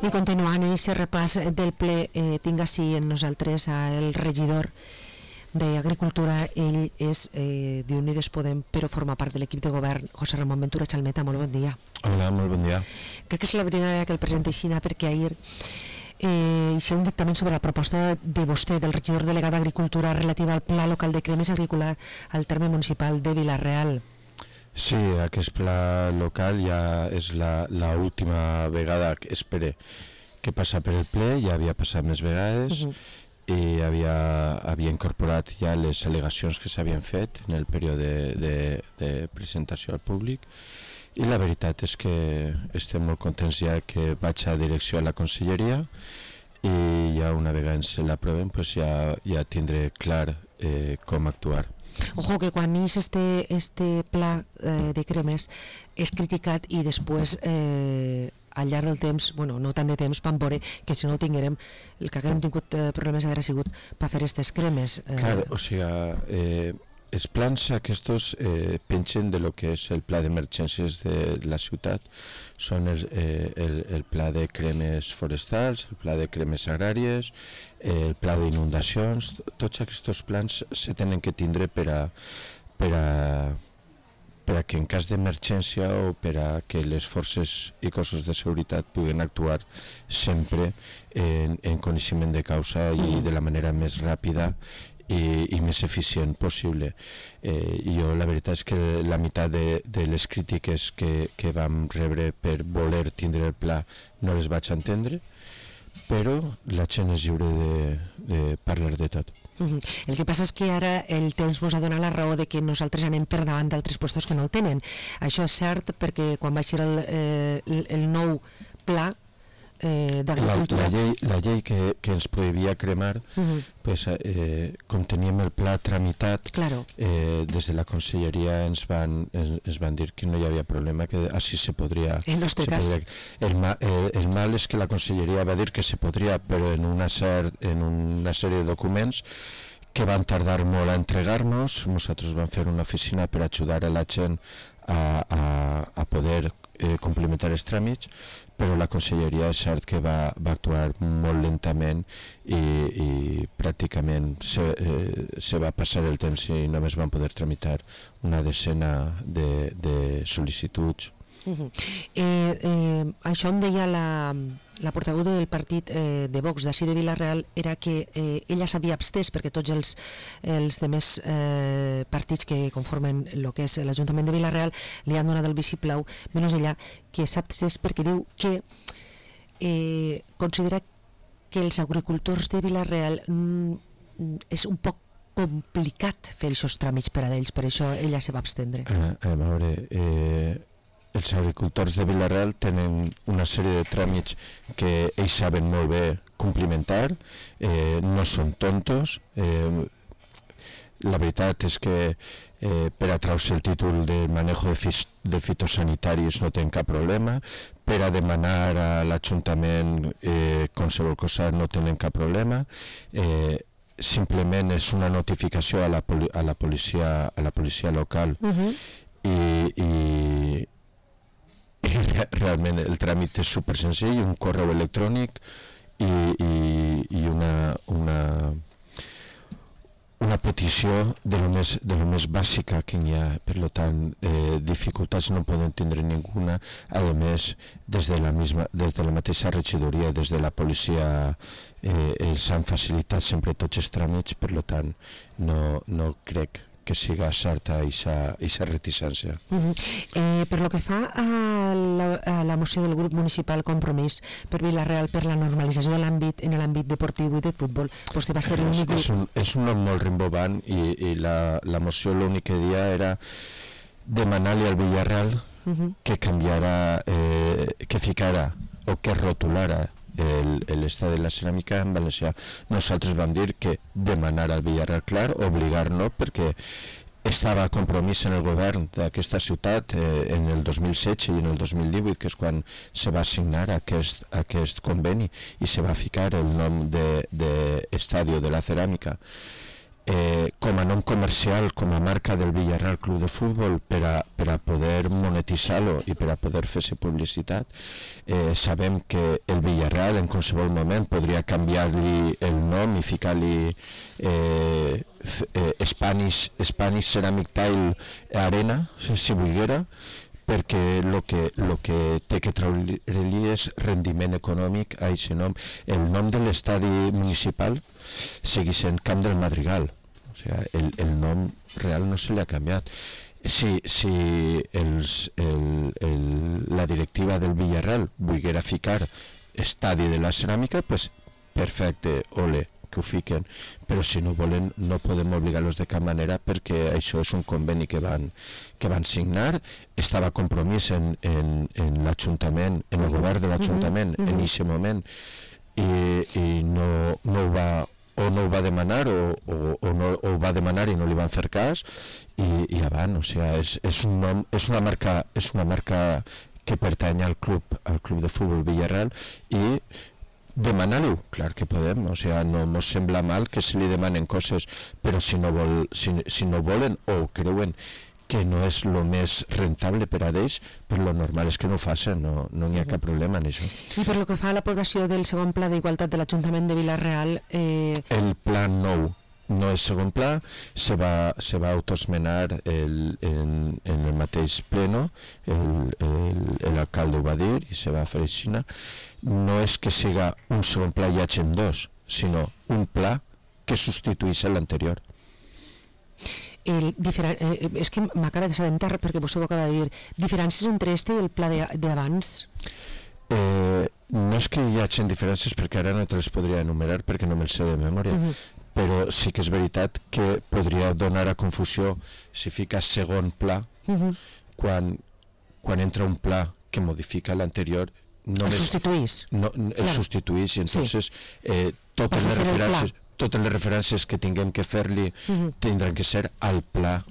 I continuant aquest repàs del ple, tinc així en nosaltres el regidor d'Agricultura. Ell és d'Unides Podem, però forma part de l'equip de govern. José Ramón Ventura Chalmeta, molt bon dia. Hola, molt bon dia. Crec que és la primera vegada que el presenta així, perquè ahir hi ha un dictamen sobre la proposta de vostè, del regidor delegat d'Agricultura, relativa al Pla Local de Cremes Agrícola al terme municipal de Vila-real. Sí, aquest pla local ja és l'última vegada que espere que passa per el ple, ja havia passat més vegades i havia incorporat ja les al·legacions que s'havien fet en el període de presentació al públic, i la veritat és que estem molt contents ja que vaig a direcció a la conselleria, i ja una vegada ens l'aprovem pues ja tindré clar com actuar. Ojo, que quan és este pla de cremes és criticat i després al llarg del temps, bueno, no tant de temps, vam veure que si no el tinguérem, el que haguem tingut problemes haguera sigut per fer aquestes cremes. Clar, o sigui, els plans aquests pengen de lo que és el pla d'emergències de la ciutat. Són el pla de cremes forestals, el pla de cremes agràries, el pla d'inundacions. Tots aquests plans se tenen que tindre per a que en cas d'emergència o per a que les forces i cossos de seguretat puguen actuar sempre en coneixement de causa i de la manera més ràpida i més eficient possible. Jo la veritat és que la meitat de les crítiques que vam rebre per voler tindre el pla no les vaig entendre, però la gent és lliure de parlar de tot. El que passa és que ara el temps ens ha donat la raó de que nosaltres anem per davant d'altres puestos que no el tenen. Això és cert perquè quan va ser el nou pla d'agricultura, la llei que ens prohibia cremar, pues, com teníem el pla tramitat, claro, des de la conselleria ens van dir que no hi havia problema, que així se podria. En nostre cas. El mal és que la conselleria va dir que se podria, però en una sèrie de documents que van tardar molt a entregar-nos. Nosaltres vam fer una oficina per ajudar a la gent a poder complementar els tràmits, però la conselleria és cert que va actuar molt lentament i pràcticament se va passar el temps i només van poder tramitar una decena de sol·licituds. Això em deia la portaveu del partit de Vox d'ací de Vila-real, era que ella s'havia abstès perquè tots els demés partits que conformen el que és l'Ajuntament de Vila-real li han donat el vistiplau, menys ella, que s'ha abstès perquè diu que considera que els agricultors de Vila-real és un poc complicat fer aquests tràmits per a ells, per això ella se va abstendre. A veure, els agricultors de Vila-real tenen una sèrie de tràmits que ells saben molt bé complimentar, no són tontos. La veritat és que per a treure el títol de manejo de fitosanitaris no tenen cap problema, per a demanar a l'Ajuntament qualsevol cosa no tenen cap problema, simplement és una notificació a la policia local i realment el tràmit és super senzill, un correu electrònic i una petició de lo més bàsica que hi ha. Per tant, dificultats no poden tindre ninguna. A més, des de la mateixa regidoria, des de la policia, els han facilitat sempre tots els tràmits. Per tant, no crec que siga certa aquesta reticència. Per lo que fa a la moció del grup municipal Compromís per Vila-real per la normalització de l'àmbit en l'àmbit deportiu i de futbol, vostè va ser l'únic grup. És un nom molt rimbobant i la moció l'únic que dia era demanar-li al Villarreal que canviara, que ficara o que rotulara l'estat de la ceràmica en valencià. Nosaltres vam dir que demanar al Villarreal, clar, obligar-lo, perquè estava compromís en el govern d'aquesta ciutat en el 2016 i en el 2018, que és quan se va signar aquest conveni i se va ficar el nom d'Estadio de la Ceràmica. com a nom comercial, com a marca del Villarreal Club de Futbol, per a poder monetitzar-lo i per a poder fer-se publicitat. Sabem que el Villarreal en qualsevol moment podria canviar-li el nom i ficar-li Spanish Ceramic Tile Arena, si volguera, perquè el que té que treure-li és rendiment econòmic a aquest nom. El nom de l'estadi municipal sigui sent Camp del Madrigal, o sigui, el nom real no se li ha canviat. Si la directiva del Villarreal volguera ficar estadi de la ceràmica, pues perfecte, ole, que ho fiquen, però si no volen no podem obligar-los de cap manera, perquè això és un conveni que van signar, estava compromís en l'Ajuntament, en el govern de l'Ajuntament en aquest moment, i no ho va demanar o no ho va demanar i no li van fer cas, i avant, o sigui, és una marca que pertany al club de futbol Villarreal, i demanar-ho, clar que podem, o sigui, no ens sembla mal que se li demanen coses, però si no volen o creuen que no és el més rentable per a ells, però lo normal és que no ho facin, no hi ha cap problema en això. I per lo que fa a l'aprovació del segon pla d'igualtat de l'Ajuntament de Vila-real... El pla nou no és segon pla, se va autoesmenar en el mateix pleno, l'alcalde ho va dir i se va fer així. No és que siga un segon pla i hi hagi dos, sinó un pla que substituís l'anterior. És que m'acaba de sabentar, perquè vostè ho acaba de dir, diferències entre este i el pla d'abans? No és que hi hagi diferències, perquè ara no te les podria enumerar perquè no me'ls sé de memòria, però sí que és veritat que podria donar a confusió si fica segon pla, quan entra un pla que modifica l'anterior, el substituís. El substituís, i entonces totes les referències que tinguem que fer-li tindran que ser al pla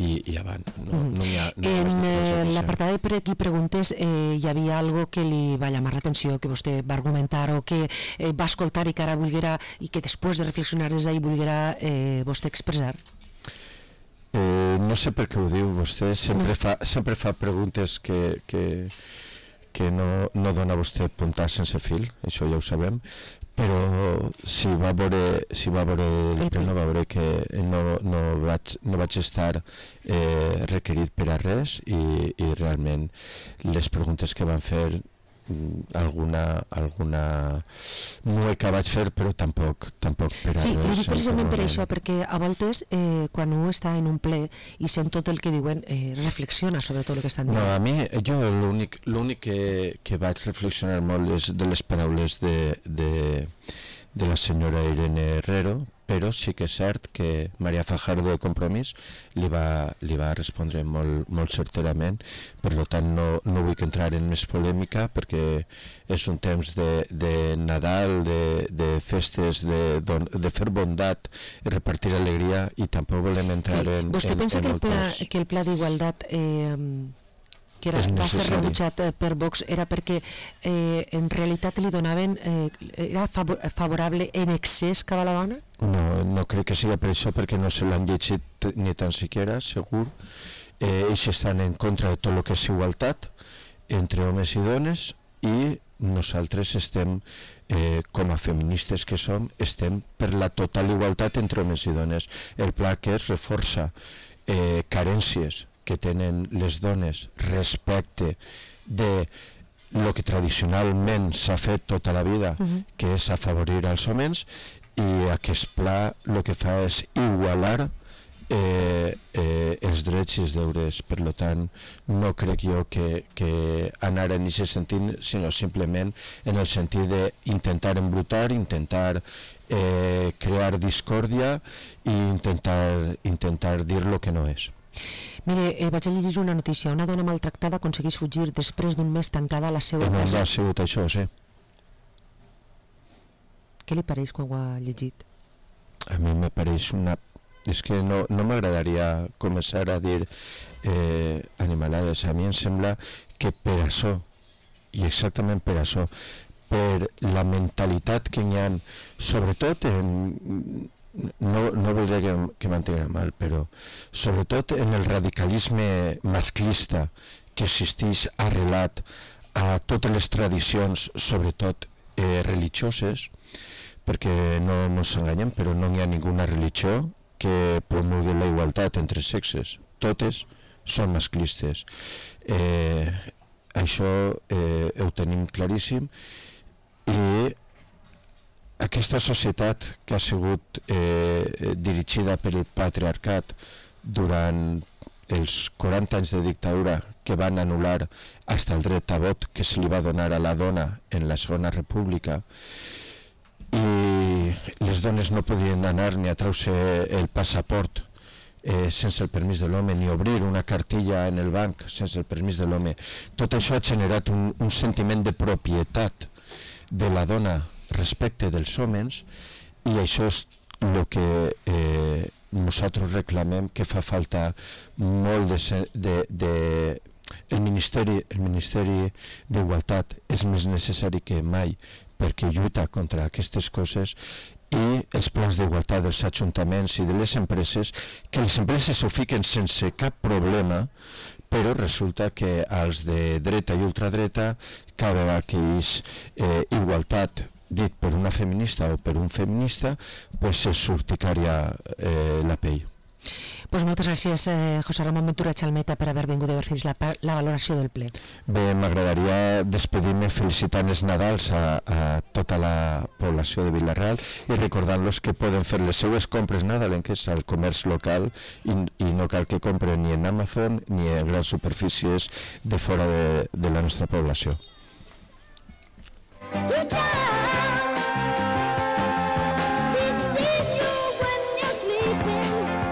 i avant. En l'apartat de per aquí preguntes, hi havia algo que li va llamar l'atenció, que vostè va argumentar o que va escoltar i que ara volguera, i que després de reflexionar des d'ahir volguera vostè expressar? No sé per què ho diu vostè, sempre fa preguntes que no dona vostè puntar sense fil, això ja ho sabem, però si va veure el pleno va veure que no vaig estar requerit per a res, i realment les preguntes que van fer, alguna mueca vaig fer, però tampoc per a res. Sí, ho dic precisament per això, perquè a voltes quan un està en un ple i sent tot el que diuen, reflexiona sobre tot el que estan dient. No, a mi, jo l'únic que vaig reflexionar molt és de les paraules de la senyora Irene Herrero, però sí que és cert que Maria Fajardo de Compromís li va respondre molt certerament. Per tant no vull entrar en més polèmica, perquè és un temps de Nadal, de festes, de fer bondat i repartir alegria, i tampoc volem entrar en... Vostè pensa que el pla d'igualtat que va ser rebutjat per Vox era perquè en realitat li donaven, era favorable en excés cap a la dona? No crec que sigui per això, perquè no se l'han llegit ni tan siquiera, segur. Ells estan en contra de tot el que és igualtat entre homes i dones, i nosaltres estem, com a feministes que som, estem per la total igualtat entre homes i dones. El pla que es reforça carències que tenen les dones respecte de lo que tradicionalment s'ha fet tota la vida, que és afavorir els homes, i aquest pla el que fa és igualar els drets i els deures. Per tant, no crec jo que anar en aquest sentit, sinó simplement en el sentit d'intentar embrutar, intentar crear discòrdia i intentar dir el que no és. Mire, vaig a llegir una notícia. Una dona maltractada aconsegueix fugir després d'un mes tancada a la seva casa. casa. Ha sigut això, sí. Què li pareix quan ho ha llegit? A mi me pareix una... És que no m'agradaria començar a dir animalades. A mi em sembla que per això, i exactament per això, per la mentalitat que hi ha, sobretot no voldria que m'entenguin mal, però sobretot en el radicalisme masclista que existeix arrelat a totes les tradicions, sobretot religioses, perquè no ens enganyem, però no hi ha ninguna religió que promulgui la igualtat entre sexes. Totes són masclistes. Això ho tenim claríssim, i aquesta societat que ha sigut dirigida per el patriarcat durant els 40 anys de dictadura, que van anul·lar fins el dret a vot que se li va donar a la dona en la Segona República, i les dones no podien anar ni a treure el passaport sense el permís de l'home, ni obrir una cartilla en el banc sense el permís de l'home. Tot això ha generat un sentiment de propietat de la dona respecte dels homes, i això és el que nosaltres reclamem, que fa falta molt el Ministeri d'Igualtat és més necessari que mai, perquè lluita contra aquestes coses, i els plans d'igualtat dels ajuntaments i de les empreses, que les empreses ho fiquen sense cap problema, però resulta que als de dreta i ultradreta, cada vegada que és igualtat dit per una feminista o per un feminista, pues se'ls urticària la pell. Pues moltes gràcies, José Ramon Ventura Chalmeta, per haver vingut a fer la valoració del ple. Bé, m'agradaria despedir-me felicitant els Nadals a tota la població de Vila-real i recordant-los que poden fer les seues compres nadalenques al comerç local, i no cal que compren ni en Amazon ni en grans superfícies de fora de la nostra població.